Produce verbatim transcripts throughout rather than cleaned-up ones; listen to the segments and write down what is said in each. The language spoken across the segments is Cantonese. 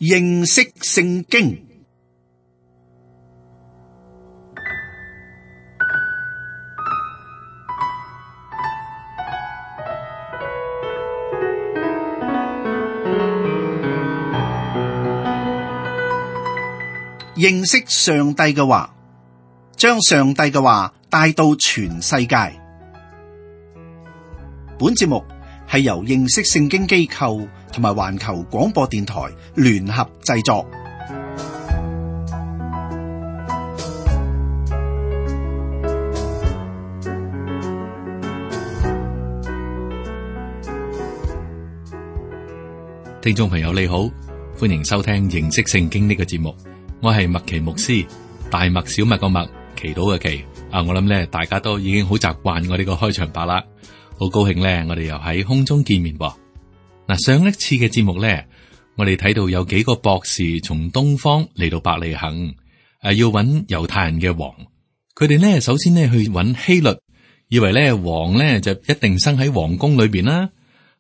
認識聖經。認識上帝嘅話，將上帝嘅話帶到全世界。本節目係由認識聖經機構同埋環球廣播電台聯合製作。聽眾朋友你好，歡迎收聽認識聖經呢個節目。我係麥奇牧師，大麥小麥個麥，祈禱嘅祈。啊，我諗咧，大家都已經好習慣我呢個開場白啦。好高興咧，我哋又喺空中見面噃。嗱，上一次嘅節目咧，我哋睇到有幾個博士從東方嚟到伯利恆，誒，要揾猶太人嘅王。佢哋咧，首先咧去揾希律，以為咧王咧就一定生喺皇宮裏邊啦。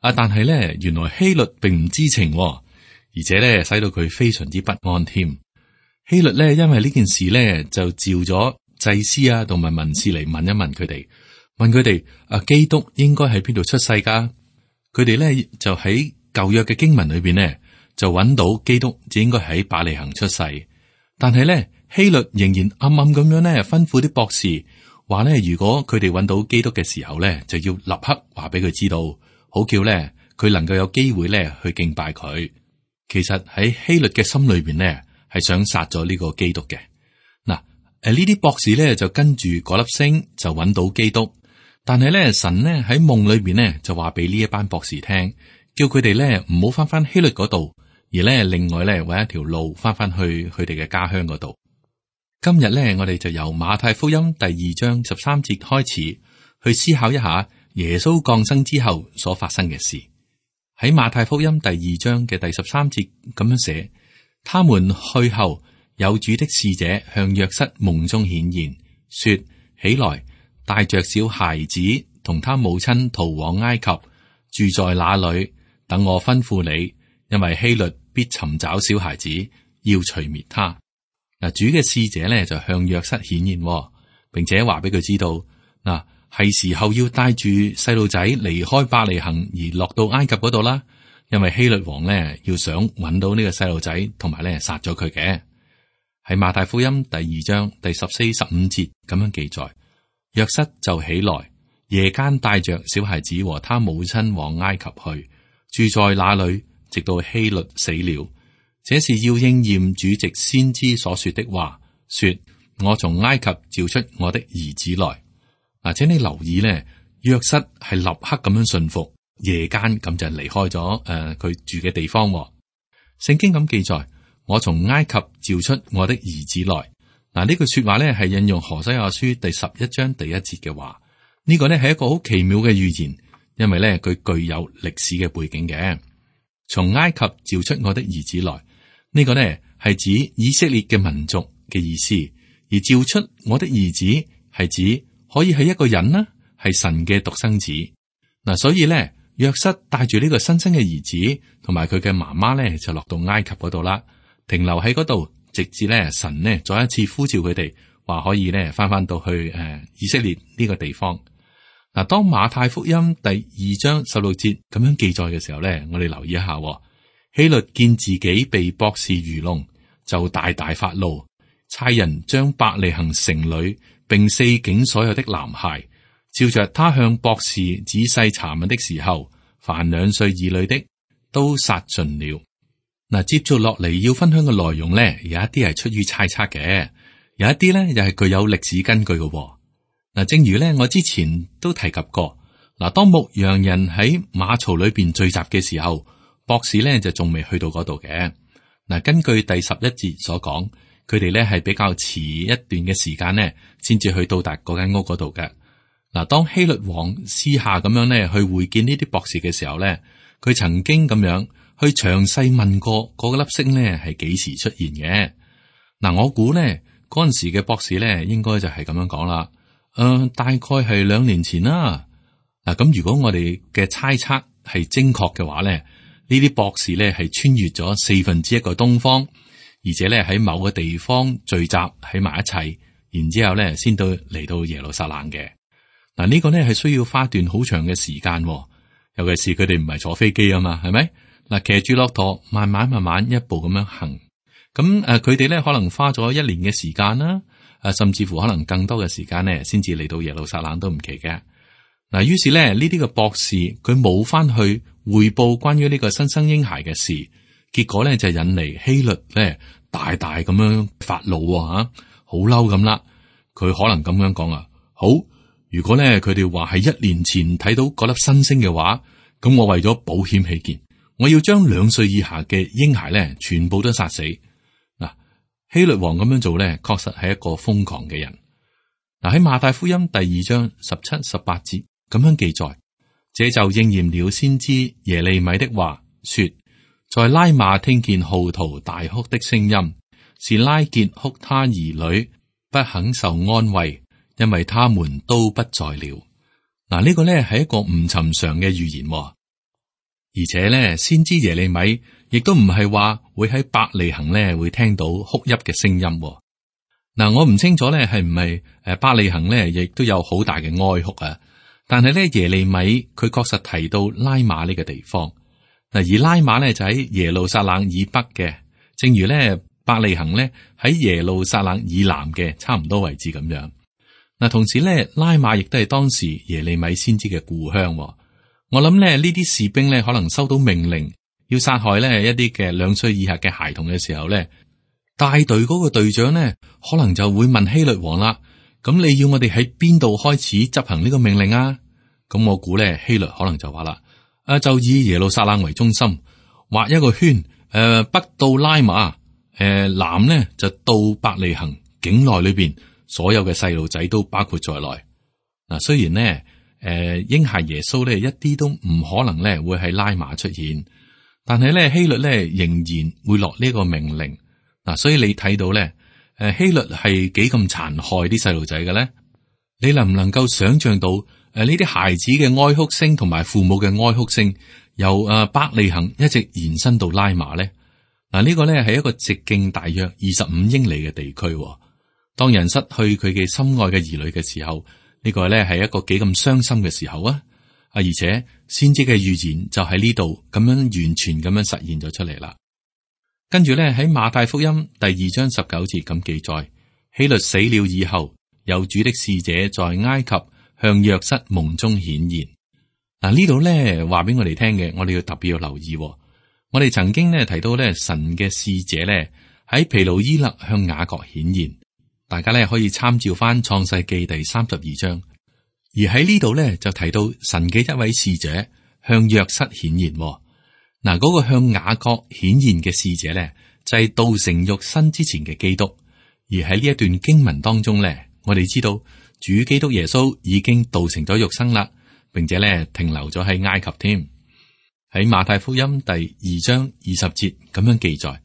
啊，但係咧，原來希律並唔知情，而且咧使到佢非常之不安添。希律咧，因為呢件事咧，就召咗祭司啊，同埋文士嚟問一問佢哋，問佢哋啊，基督應該喺邊度出世噶？佢哋咧就喺舊約嘅經文裏邊呢，就揾到基督只應該喺伯利恆出世。但係咧，希律仍然暗暗咁樣咧，吩咐啲博士話咧，如果佢哋揾到基督嘅時候咧，就要立刻話俾佢知道，好叫咧佢能夠有機會咧去敬拜佢。其實喺希律嘅心裏邊呢，係想殺咗呢個基督嘅。嗱，誒呢啲博士咧就跟住嗰粒星就揾到基督，但係咧神呢喺夢裏邊呢就話俾呢一班博士聽，叫佢哋咧唔好翻翻希律嗰度，而咧另外咧搵一條路翻翻去佢哋嘅家鄉嗰度。今日咧我哋就由馬太福音第二章十三節開始去思考一下耶穌降生之後所發生嘅事。喺馬太福音第二章嘅第十三節咁樣寫。他們去後，有主的使者向約瑟夢中顯現，說：起來，帶着小孩子同他母親逃往埃及，住在那裏，等我吩咐你，因為希律必尋找小孩子，要除滅他。嗱，主嘅使者咧就向約瑟顯現，並且話俾佢知道，嗱，係時候要帶住細路仔離開伯利恆而落到埃及嗰度啦。因為希律王咧要想揾到呢個細路仔，同埋咧殺咗佢嘅。喺馬太福音第二章第十四、十五節咁樣記載，約瑟就起來，夜間帶着小孩子和他母親往埃及去，住在那裏，直到希律死了。這是要應驗主藉先知所說的話，說：我從埃及召出我的兒子來。嗱，請你留意咧，約瑟係立刻咁樣信服。夜間咁就離開咗誒，佢、呃、住嘅地方。聖經咁記載，我從埃及召出我的兒子來。嗱，呢句說話咧係引用何西阿書第十一章第一節嘅話。呢、這個咧係一個好奇妙嘅預言，因為咧佢具有歷史嘅背景嘅。從埃及召出我的兒子來，呢、這個咧係指以色列嘅民族嘅意思，而召出我的兒子係指可以係一個人啦，係神嘅獨生子。嗱，所以咧。約瑟帶住呢個新生嘅兒子同埋佢嘅媽媽咧，就落到埃及嗰度啦，停留喺嗰度，直至咧神呢再一次呼召佢哋，話可以咧翻翻到去誒、呃、以色列呢個地方。嗱，當馬太福音第二章十六節咁樣記載嘅時候咧，我哋留意一下，希律見自己被博士愚弄，就大大發怒，差人將伯利恆城裏並四境所有的男孩，照着他向博士仔細查問的時候，凡兩歲以內的都殺盡了。嗱，接住落嚟要分享嘅內容咧，有一啲係出於猜測嘅，有一啲咧又係具有歷史根據嘅。嗱，正如咧我之前都提及過，嗱，當牧羊人喺馬槽裏邊聚集嘅時候，博士咧就仲未去到嗰度嘅。嗱，根據第十一節所講，佢哋咧係比較遲一段嘅時間咧，先至去到達嗰間屋嗰度嘅。嗱，當希律王私下咁樣咧去會見呢啲博士嘅時候咧，佢曾經咁樣去詳細問過嗰粒星咧係幾時出現嘅。嗱，我估咧嗰陣時嘅博士咧應該就係咁樣講啦。誒、呃，大概係兩年前啦。嗱，咁如果我哋嘅猜測係精確嘅話咧，呢啲博士咧係穿越咗四分之一個東方，而且咧喺某個地方聚集喺埋一齊，然之後咧先到嚟到耶路撒冷嘅。嗱，呢個咧係需要花段好長嘅時間，尤其是佢哋唔係坐飛機啊嘛，係咪？嗱，騎住駱駝，慢慢慢慢一步咁樣行，咁誒，佢哋咧可能花咗一年嘅時間啦，誒，甚至乎可能更多嘅時間咧，先至嚟到耶路撒冷都唔奇嘅。嗱，於是咧呢啲嘅博士佢冇翻去匯報關於呢個新生嬰孩嘅事，結果咧就引嚟希律咧大大咁樣發怒吓，好嬲咁啦。佢可能咁樣講啊，好，如果咧佢哋話係一年前睇到嗰粒新星嘅話，咁我為咗保險起見，我要將兩歲以下嘅嬰孩咧全部都殺死。嗱，希律王咁樣做咧，確實係一個瘋狂嘅人。嗱，喺馬太福音第二章十七、十八節。咁樣記載，這就應驗了先知耶利米的話，說：在拉馬聽見號啕大哭的聲音，是拉結哭他兒女，不肯受安慰，因為他們都不在了。嗱，呢個咧係一個唔尋常嘅預言，而且咧先知耶利米亦都唔係話會喺伯利恆咧會聽到哭泣嘅聲音。嗱，我唔清楚咧係唔係誒伯利恆咧亦都有好大嘅哀哭啊。但係咧，耶利米佢確實提到拉馬呢個地方嗱，而拉馬咧就喺耶路撒冷以北嘅，正如咧伯利恆咧喺耶路撒冷以南嘅差唔多位置咁樣。嗱，同時咧拉馬亦都係當時耶利米先知嘅故鄉。我諗咧呢啲士兵咧可能收到命令要殺害咧一啲嘅兩歲以下嘅孩童嘅時候咧，帶隊嗰個隊長咧可能就會問希律王啦。咁你要我哋喺邊度開始執行呢個命令啊？咁我估咧希律可能就話啦，誒就以耶路撒冷為中心畫一個圈，誒、呃、北到拉馬，誒、呃、南咧就到伯利恆境內裏邊所有嘅細路仔都包括在內。嗱，雖然咧誒嬰孩耶穌咧一啲都唔可能咧會喺拉馬出現，但係咧希律咧仍然會落呢個命令。嗱，所以你睇到咧。誒，希律係幾咁殘害啲細路仔嘅咧？你能唔能夠想象到誒呢啲孩子嘅哀哭聲同埋父母嘅哀哭聲，由誒伯利恆一直延伸到拉馬咧？嗱，呢個咧係一個直徑大約二十五英里嘅地區。當人失去佢嘅心愛嘅兒女嘅時候，呢個咧係一個幾咁傷心嘅時候啊！啊，而且先知嘅預言就喺呢度咁樣完全咁樣實現咗出嚟啦。跟住咧喺馬太福音第二章十九節咁記載，希律死了以後，有主的使者在埃及向約瑟夢中顯現。嗱，呢度咧話俾我哋聽嘅，我哋要特別要留意。我哋曾經咧提到咧神嘅使者咧喺毗努伊勒向雅各顯現，大家咧可以參照翻創世記第三十二章。而喺呢度咧就提到神嘅一位使者向約瑟顯現。嗱，嗰個向雅各顯現嘅使者咧，就係道成肉身之前嘅基督。而喺呢一段經文當中咧，我哋知道主基督耶穌已經道成咗肉身啦，並且咧停留咗喺埃及添。喺馬太福音第二章二十節咁樣記載：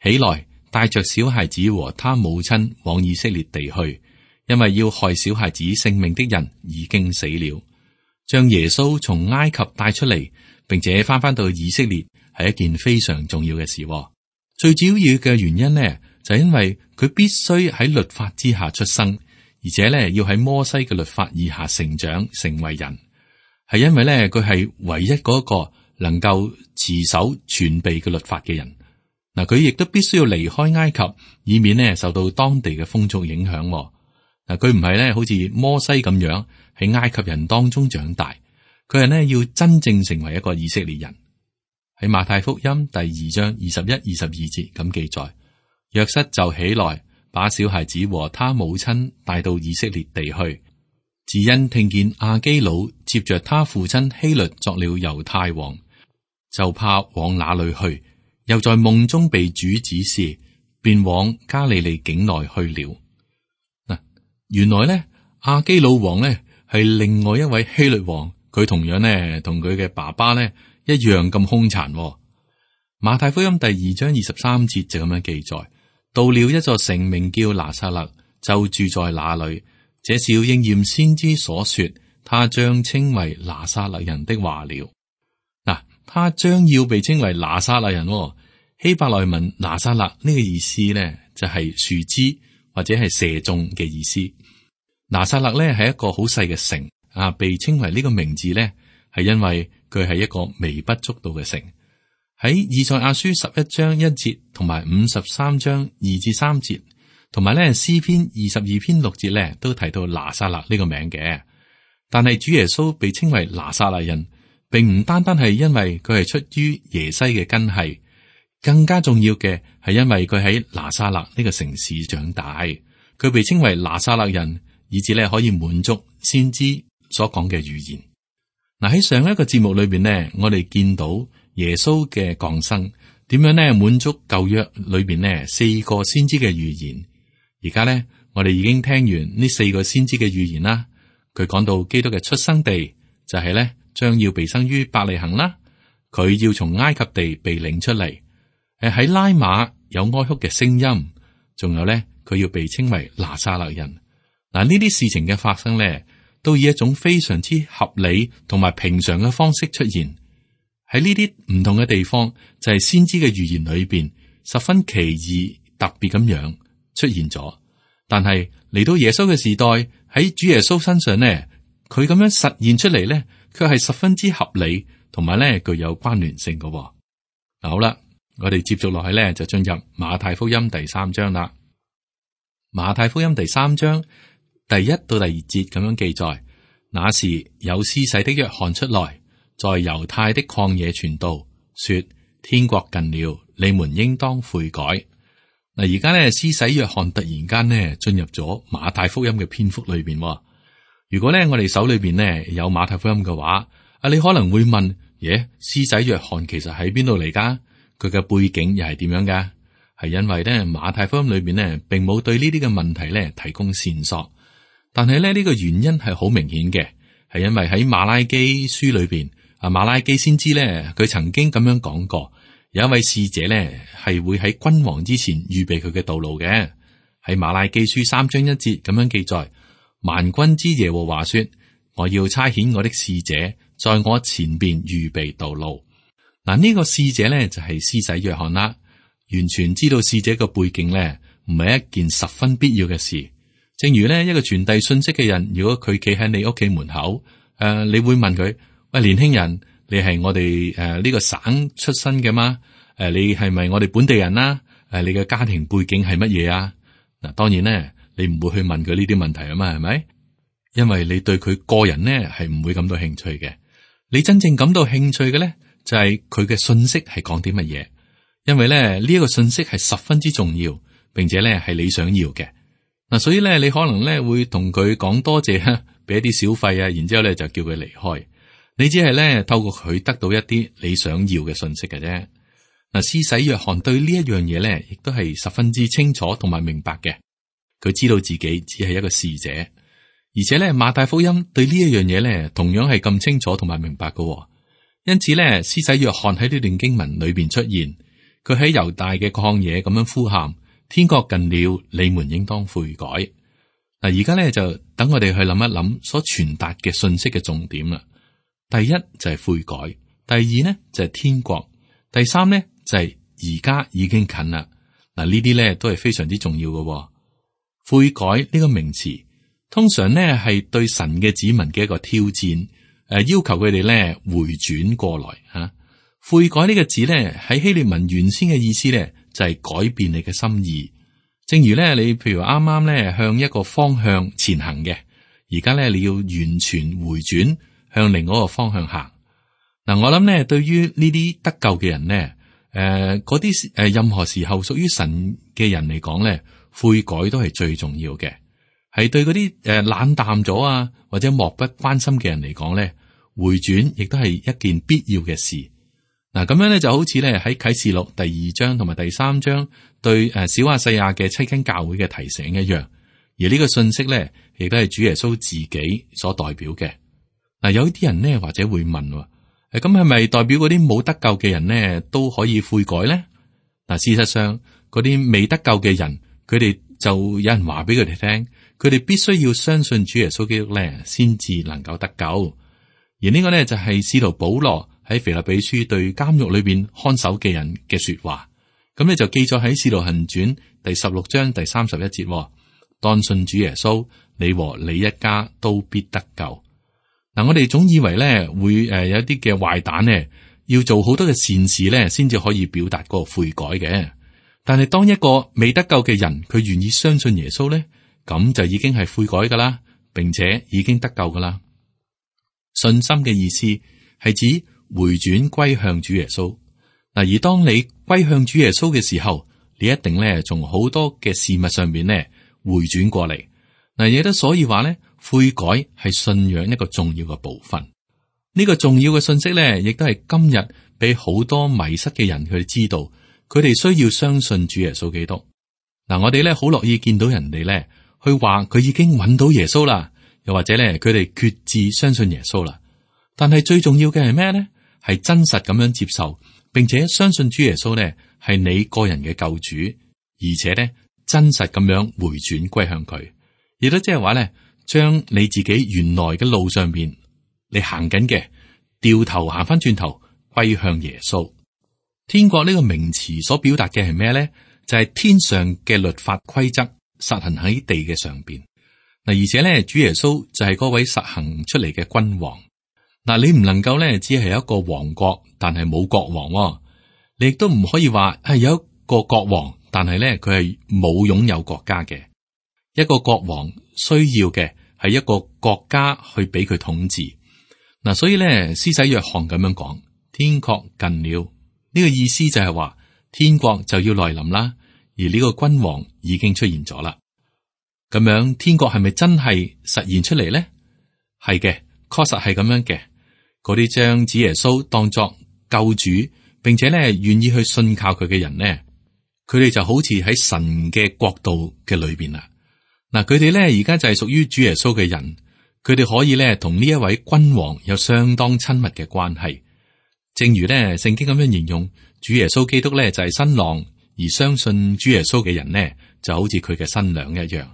起來，帶着小孩子和他母親往以色列地去，因為要害小孩子性命的人已經死了。將耶穌從埃及帶出嚟，並且翻返到以色列係一件非常重要嘅事。最主要嘅原因呢，就係因為佢必須喺律法之下出生，而且咧要喺摩西嘅律法以下成長成為人，係因為咧佢係唯一嗰個能夠持守全備嘅律法嘅人。嗱，佢亦都必須要離開埃及，以免呢受到當地嘅風俗影響。嗱，佢唔係咧好似摩西咁樣喺埃及人當中長大。佢係呢要真正成為一個以色列人。喺馬太福音第二章二十一、二十二節咁記載，約瑟就起來，把小孩子和他母親帶到以色列地去。只因聽見亞基老接着他父親希律作了猶太王，就怕往那裏去，又在夢中被主指示，便往加利利境內去了。嗱，原來呢，亞基老王呢係另外一位希律王。佢同樣呢，同佢嘅爸爸呢一樣咁兇殘。馬太福音第二章二十三節就咁樣記載：到了一座城，名叫拿撒勒，就住在那裏。這是要應驗先知所說，他將稱為拿撒勒人的話了。嗱，他將要被稱為拿撒勒人。希伯來文拿撒勒呢個意思咧，就係樹枝或者係射中嘅意思。拿撒勒咧係一個好細嘅城啊，被稱為呢個名字咧，係因為佢係一個微不足道嘅城。喺以賽亞書十一章一節同埋五十三章二至三節，同埋咧詩篇二十二篇六節咧，都提到拿撒勒呢個名嘅。但係主耶穌被稱為拿撒勒人，並唔單單係因為佢係出於耶西嘅根系，更加重要嘅係因為佢喺拿撒勒呢個城市長大，佢被稱為拿撒勒人，以至咧可以滿足先知所講嘅預言。嗱，喺上一個節目裏邊呢，我哋見到耶穌嘅降生點樣呢滿足舊約裏邊呢四個先知嘅預言。而家呢，我哋已經聽完呢四個先知嘅預言啦。佢講到基督嘅出生地就係咧將要被生於伯利恆啦，佢要從埃及地被領出嚟。誒喺拉馬有哀哭嘅聲音，仲有咧佢要被稱為拿撒勒人。嗱，呢啲事情嘅發生咧，都以一種非常之合理同埋平常嘅方式出現。喺呢啲唔同嘅地方，就係先知嘅預言裏邊十分奇異特別咁樣出現咗。但係嚟到耶穌嘅時代，喺主耶穌身上呢，佢咁樣實現出嚟呢，卻係十分之合理，同埋咧具有關聯性嘅。嗱，好啦，我哋接續落去咧，就進入馬太福音第三章啦。馬太福音第三章第一到第二節咁樣記載：那時有施洗的約翰出來，在猶太的曠野傳道，說：天國近了，你們應當悔改。嗱，而家咧施洗約翰突然間咧進入咗馬太福音嘅篇幅裏邊。如果咧我哋手裏邊咧有馬太福音嘅話，啊，你可能會問：耶，施洗約翰其實喺邊度嚟噶？佢嘅背景又係點樣噶？係因為咧馬太福音裏邊咧並冇對呢啲嘅問題咧提供線索，但係咧呢個原因係好明顯嘅，係因為喺馬拉基書裏邊，啊馬拉基先知咧佢曾經咁樣講過。有一位使者咧，係會喺君王之前預備佢嘅道路嘅。喺馬拉基書三章一節咁樣記載：萬軍之耶和華說，我要差遣我的使者在我前邊預備道路。嗱，呢個使者咧就係施洗約翰啦。完全知道使者嘅背景咧，唔係一件十分必要嘅事。正如咧一個傳遞信息嘅人，如果佢企喺你屋企門口，誒、呃，你會問佢：喂，年輕人。你係我哋誒呢個省出身嘅嗎？誒、呃，你係咪我哋本地人啦？誒、呃，你嘅家庭背景係乜嘢啊？嗱，當然咧，你唔會去問佢呢啲問題啊嘛，係咪？因為你對佢個人咧係唔會感到興趣嘅。你真正感到興趣嘅咧，就係佢嘅信息係講啲乜嘢。因為咧呢一個信息係十分之重要，並且咧係你想要嘅。嗱，所以咧你可能咧會同佢講多謝，俾一啲小費啊，然之後咧就叫佢離開。你只係咧透過佢得到一啲你想要嘅信息嘅啫。嗱，施洗約翰對呢一樣嘢咧，亦都係十分之清楚同埋明白嘅。佢知道自己只係一個使者，而且咧馬太福音對呢一樣嘢咧，同樣係咁清楚同埋明白嘅。因此咧，施洗約翰喺呢段經文裏邊出現，佢喺猶大嘅曠野咁樣呼喊：天國近了，你們應當悔改。嗱，而家咧就等我哋去諗一諗所傳達嘅信息嘅重點啦。第一就係悔改，第二呢就係天國，第三呢就係而家已經近啦。嗱，呢啲咧都係非常之重要嘅。悔改呢個名詞，通常呢係對神嘅子民嘅一個挑戰，誒，要求佢哋咧回轉過來吓。悔改呢個字咧喺希臘文原先嘅意思咧就係改變你嘅心意。正如咧你譬如啱啱咧向一個方向前行嘅，而家咧你要完全回轉。向另外一個方向行。嗱，我諗咧，對於呢啲得救嘅人咧，誒，嗰啲誒，任何時候屬於神嘅人嚟講咧，悔改都係最重要嘅。係對嗰啲誒冷淡咗啊，或者漠不關心嘅人嚟講咧，回轉亦都係一件必要嘅事。嗱，咁樣咧就好似咧喺啟示錄第二章同埋第三章對誒小亞細亞嘅七間教會嘅提醒一樣。而呢個信息咧，亦都係主耶穌自己所代表嘅。嗱，有啲人呢，或者會問，誒，咁係咪代表嗰啲冇得救嘅人呢都可以悔改咧？嗱，事實上嗰啲未得救嘅人，佢哋就有人話俾佢哋聽，佢哋必須要相信主耶穌基督咧，先至能夠得救。而呢個咧就係使徒保羅喺腓立比書對監獄裏邊看守嘅人嘅說話。咁咧就記載喺《使徒行傳》第十六章第三十一節，當信主耶穌，你和你一家都必得救。嗱，我哋總以為咧會誒有一啲嘅壞蛋咧要做好多嘅善事咧，先至可以表達嗰個悔改嘅。但係當一個未得救嘅人，佢願意相信耶穌咧，咁就已經係悔改噶啦，並且已經得救噶啦。信心嘅意思係指回轉歸向主耶穌。嗱，而當你歸向主耶穌嘅時候，你一定咧從好多嘅事物上面咧回轉過嚟。嗱，亦都所以話咧，悔改係信仰一個重要嘅部分。呢個重要嘅信息咧，亦都係今日俾好多迷失嘅人佢哋知道，佢哋需要相信主耶穌基督。嗱，我哋咧好樂意見到人哋咧去話佢已經揾到耶穌啦，又或者咧佢哋決志相信耶穌啦。但係最重要嘅係咩咧？係真實咁樣接受，並且相信主耶穌咧係你個人嘅救主，而且咧真實咁樣回轉歸向佢，亦都即係話咧，將你自己原來嘅路上邊你行緊嘅，掉頭行翻轉頭歸向耶穌。天國呢個名詞所表達嘅係咩咧？就係天上嘅律法規則實行喺地嘅上邊。嗱，而且咧，主耶穌就係嗰位實行出嚟嘅君王。嗱，你唔能夠咧，只係有一個王國，但係冇國王喎。你亦都唔可以話係有一個國王，但係咧佢係冇擁有國家嘅。一個國王需要嘅係一個國家去俾佢統治。嗱，所以咧，施洗約翰咁樣講，天國近了。呢個意思就係話天國就要來臨啦，而呢個君王已經出現咗啦。咁樣天國係咪真係實現出嚟咧？係嘅，確實係咁樣嘅。嗰啲將主耶穌當作救主，並且咧願意去信靠佢嘅人呢，佢哋就好似喺神嘅國度嘅裏邊啦。嗱，佢哋咧而家就係屬於主耶穌嘅人，佢哋可以咧同呢一位君王有相當親密嘅關係。正如咧聖經咁樣形容，主耶穌基督咧就係新郎，而相信主耶穌嘅人呢，就好似佢嘅新娘一樣。誒、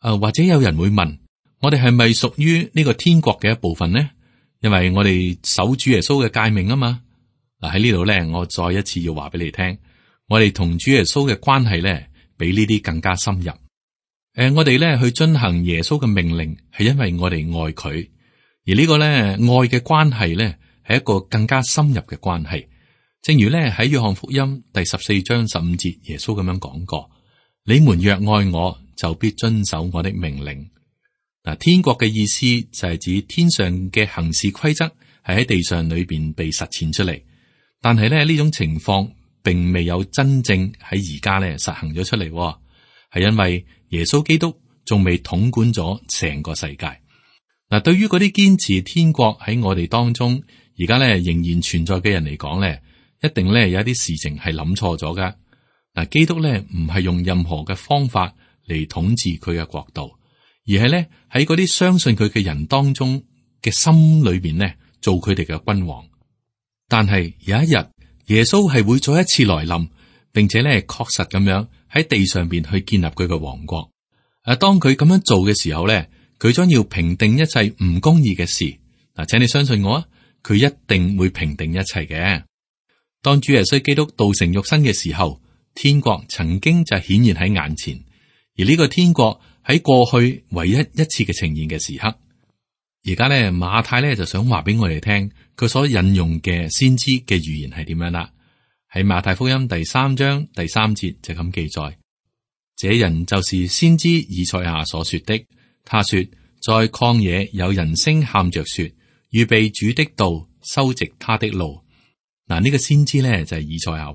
呃，或者有人會問，我哋係咪屬於呢個天國嘅一部分呢？因為我哋守主耶穌嘅誡命啊嘛。嗱，喺呢度咧，我再一次要話俾你聽，我哋同主耶穌嘅關係咧，比呢啲更加深入。誒、呃，我哋咧去遵行耶穌嘅命令，係因為我哋愛佢，而呢個咧愛嘅關係咧，係一個更加深入嘅關係。正如咧喺約翰福音第十四章十五節，耶穌咁樣講過：你們若愛我，就必遵守我的命令。嗱，天國嘅意思就係指天上嘅行事規則係喺地上裏邊被實踐出嚟，但係咧呢種情況並未有真正喺而家咧實行咗出嚟，係因為耶穌基督仲未統管咗成個世界。嗱，對於嗰啲堅持天國喺我哋當中而家咧仍然存在嘅人嚟講咧，一定咧有一啲事情係諗錯咗噶。嗱，基督咧唔係用任何嘅方法嚟統治佢嘅國度，而係咧喺嗰啲相信佢嘅人當中嘅心裏邊咧做佢哋嘅君王。但係有一日耶穌係會再一次來臨，並且咧確實咁樣喺地上邊去建立佢嘅王國。誒，當佢咁樣做嘅時候咧，佢將要平定一切唔公義嘅事。嗱，請你相信我啊，佢一定會平定一切嘅。當主耶穌基督道成肉身嘅時候，天國曾經就顯現喺眼前，而呢個天國喺過去唯一一次嘅呈現嘅時刻。而家咧馬太咧就想話俾我哋聽，佢所引用嘅先知嘅預言係點樣啦？喺馬太福音第三章第三節就咁記載：這人就是先知以賽亞所說的。他說，在曠野有人聲喊着說，預備主的道，修直他的路。嗱，呢個先知咧就係以賽亞。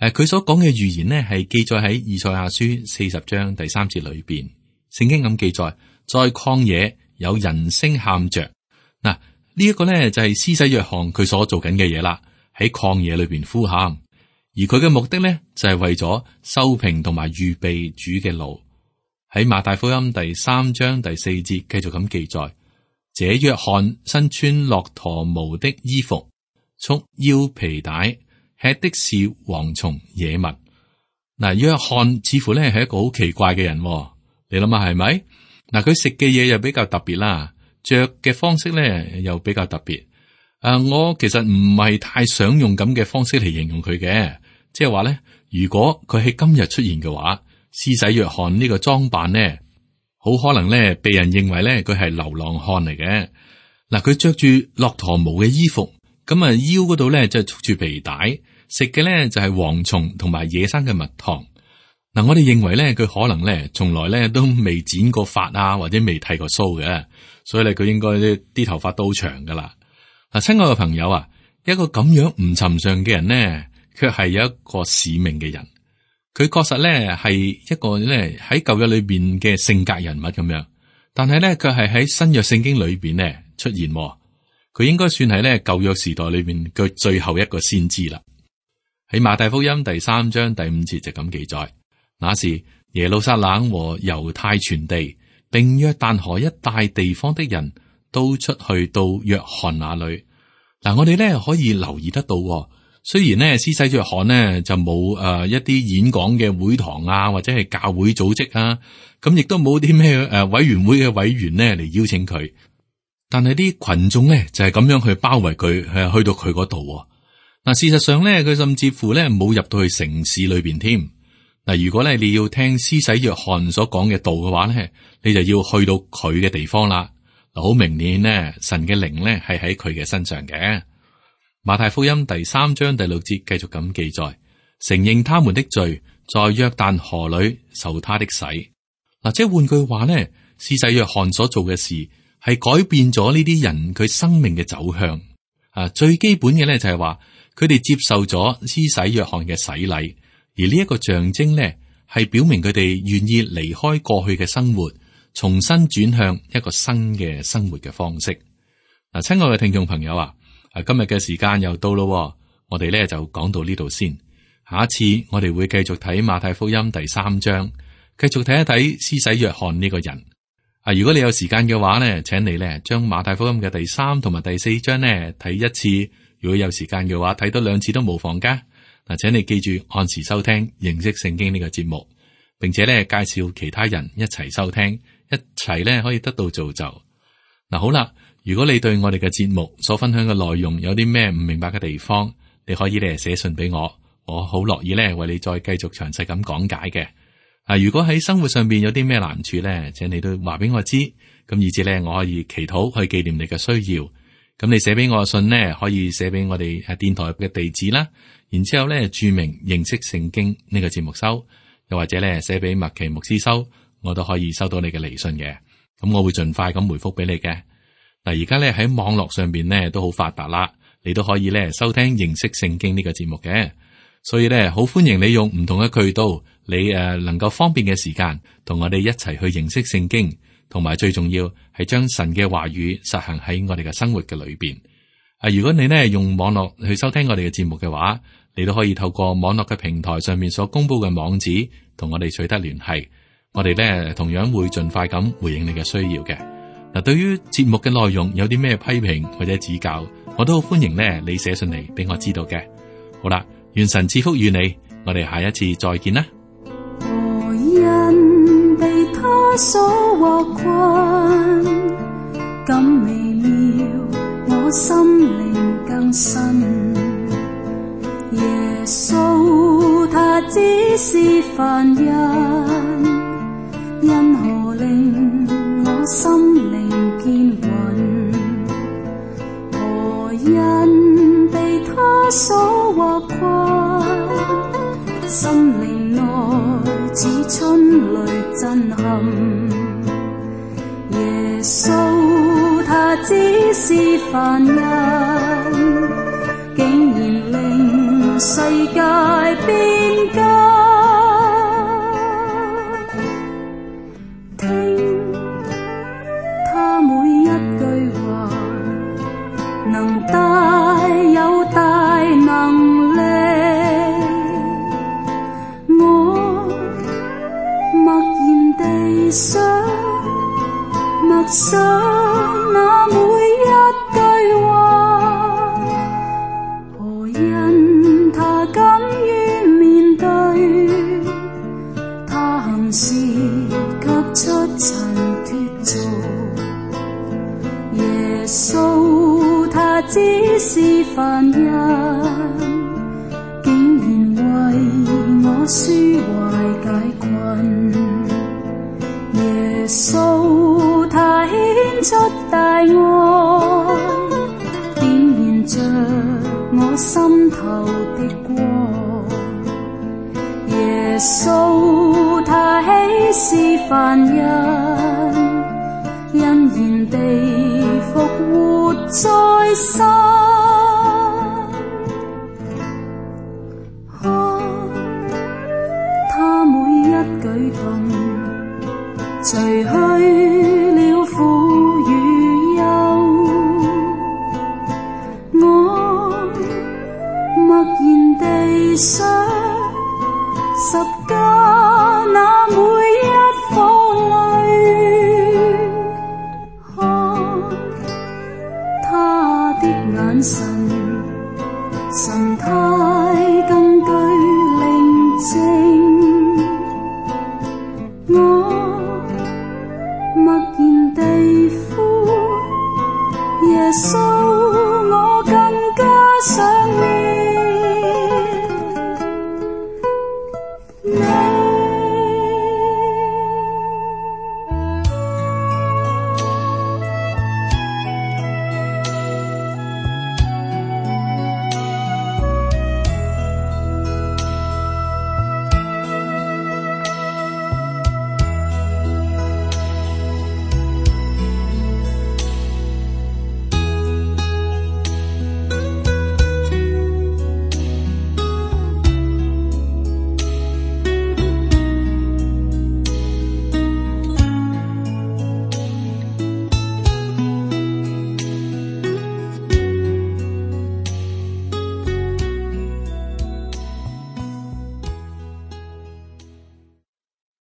誒，佢所講嘅預言呢係記載喺以賽亞書四十章第三節裏邊。聖經咁記載，在曠野有人聲喊着。嗱，呢一個咧就係施洗約翰佢所做緊嘅嘢啦，喺曠野裏邊呼喊。而佢嘅目的咧就係為咗修平同埋預備主嘅路。喺馬太福音第三章第四節繼續咁記載，這約翰身穿駱駝毛的衣服，束腰皮帶，吃的是蝗蟲野蜜。嗱，約翰似乎咧係一個好奇怪嘅人，你諗下係咪？嗱，佢食嘅嘢又比較特別啦，着嘅方式咧又比較特別。啊，我其實唔係太想用咁嘅方式嚟形容佢嘅，即係話咧，如果佢喺今日出現嘅話，施洗約翰呢個裝扮咧，好可能咧被人認為咧佢係流浪漢嚟嘅。嗱，佢着住駱駝毛嘅衣服，咁啊腰嗰度咧就束住皮帶，食嘅咧就係蝗蟲同埋野生嘅蜜糖。嗱，我哋認為咧佢可能咧從來咧都未剪過髮啊，或者未剃過鬚嘅，所以咧佢應該啲頭髮都好長噶啦。嗱，親愛嘅朋友啊，一個咁樣唔尋常嘅人呢，卻係有一個使命嘅人。佢確實咧係一個咧喺舊約裏邊嘅性格人物咁樣，但係咧卻係喺新約聖經裏邊咧出現。佢應該算係咧舊約時代裏邊嘅最後一個先知啦。喺馬太福音第三章第五節就咁記載：那時耶路撒冷和猶太全地，並約旦河一帶地方的人，都出去到約翰那裏。嗱，我哋咧可以留意得到，雖然咧施洗約翰呢就冇誒、呃、一啲演講嘅會堂啊，或者係教會組織啊，咁亦都冇啲咩誒委員會嘅委員呢嚟邀請佢，但係啲群眾咧就係、是、咁樣去包圍佢，係去到佢嗰度。嗱，事實上咧，佢甚至乎咧冇入到去城市裏邊添。嗱，如果咧你要聽施洗約翰所講嘅道嘅話咧，你就要去到佢嘅地方啦。嗱，好明顯呢，神嘅靈咧係喺佢嘅身上嘅。馬太福音第三章第六節繼續咁記載，承認他們的罪，在約旦河裏受他的洗。嗱，即係換句話咧，施洗約翰所做嘅事係改變咗呢啲人佢生命嘅走向。啊，最基本嘅咧就係話，佢哋接受咗施洗約翰嘅洗禮，而呢一個象徵咧係表明佢哋願意離開過去嘅生活，重新轉向一個新嘅生活嘅方式。嗱，親愛嘅聽眾朋友啊，啊今日嘅時間又到咯，我哋咧就講到呢度先。下一次我哋會繼續睇馬太福音第三章，繼續睇一睇施洗約翰呢個人。啊，如果你有時間嘅話咧，請你咧將馬太福音嘅第三同埋第四章咧睇一次。如果有時間嘅話，睇多兩次都無妨噶。嗱，請你記住按時收聽認識聖經呢個節目，並且咧介紹其他人一齊收聽，一齊咧可以得到造就。嗱，好啦，如果你對我哋嘅節目所分享嘅內容有啲咩唔明白嘅地方，你可以咧寫信俾我，我好樂意咧為你再繼續詳細咁講解嘅。啊，如果喺生活上邊有啲咩難處咧，請你都話俾我知，咁以至咧我可以祈禱去紀念你嘅需要。咁你寫俾我嘅信呢，可以寫俾我哋誒電台嘅地址啦。然之後咧注明認識聖經呢個節目收，又或者咧寫俾麥奇牧師收，我都可以收到你嘅嚟信嘅。咁我會盡快咁回覆俾你嘅。嗱，而家咧喺網絡上邊咧都好發達啦，你都可以咧收聽認識聖經呢個節目嘅。所以咧好歡迎你用唔同嘅渠道，你誒能夠方便嘅時間，同我哋一齊去認識聖經。同埋最重要係將神嘅話語實行喺我哋嘅生活嘅裏邊。啊，如果你呢用網絡去收聽我哋嘅節目嘅話，你都可以透過網絡嘅平台上面所公布嘅網址，同我哋取得聯繫。我哋呢同樣會盡快咁回應你嘅需要嘅。嗱，對於節目嘅內容有啲咩批評或者指教，我都好歡迎呢你寫信嚟俾我知道嘅。好啦，願神賜福與你，我哋下一次再見啦。他所獲困，更微妙，我心靈更新。耶穌他只是凡人，因何令我心靈堅穩？何因被他所獲困，心靈內似春雷震撼。耶穌他只是凡人，竟然令世界變更。聽他每一句話，能帶有大能力。我默然地想，默想那每一句話，何因他甘於面對，他行事卻出塵脫俗。耶穌他只是凡人，竟然為我抒懷解困。耶穌他顯出大愛，點燃着我心頭的光。耶穌他豈是凡人，欣然地復活在生。看他每一舉動，除去了苦與憂，我默然地想，十架那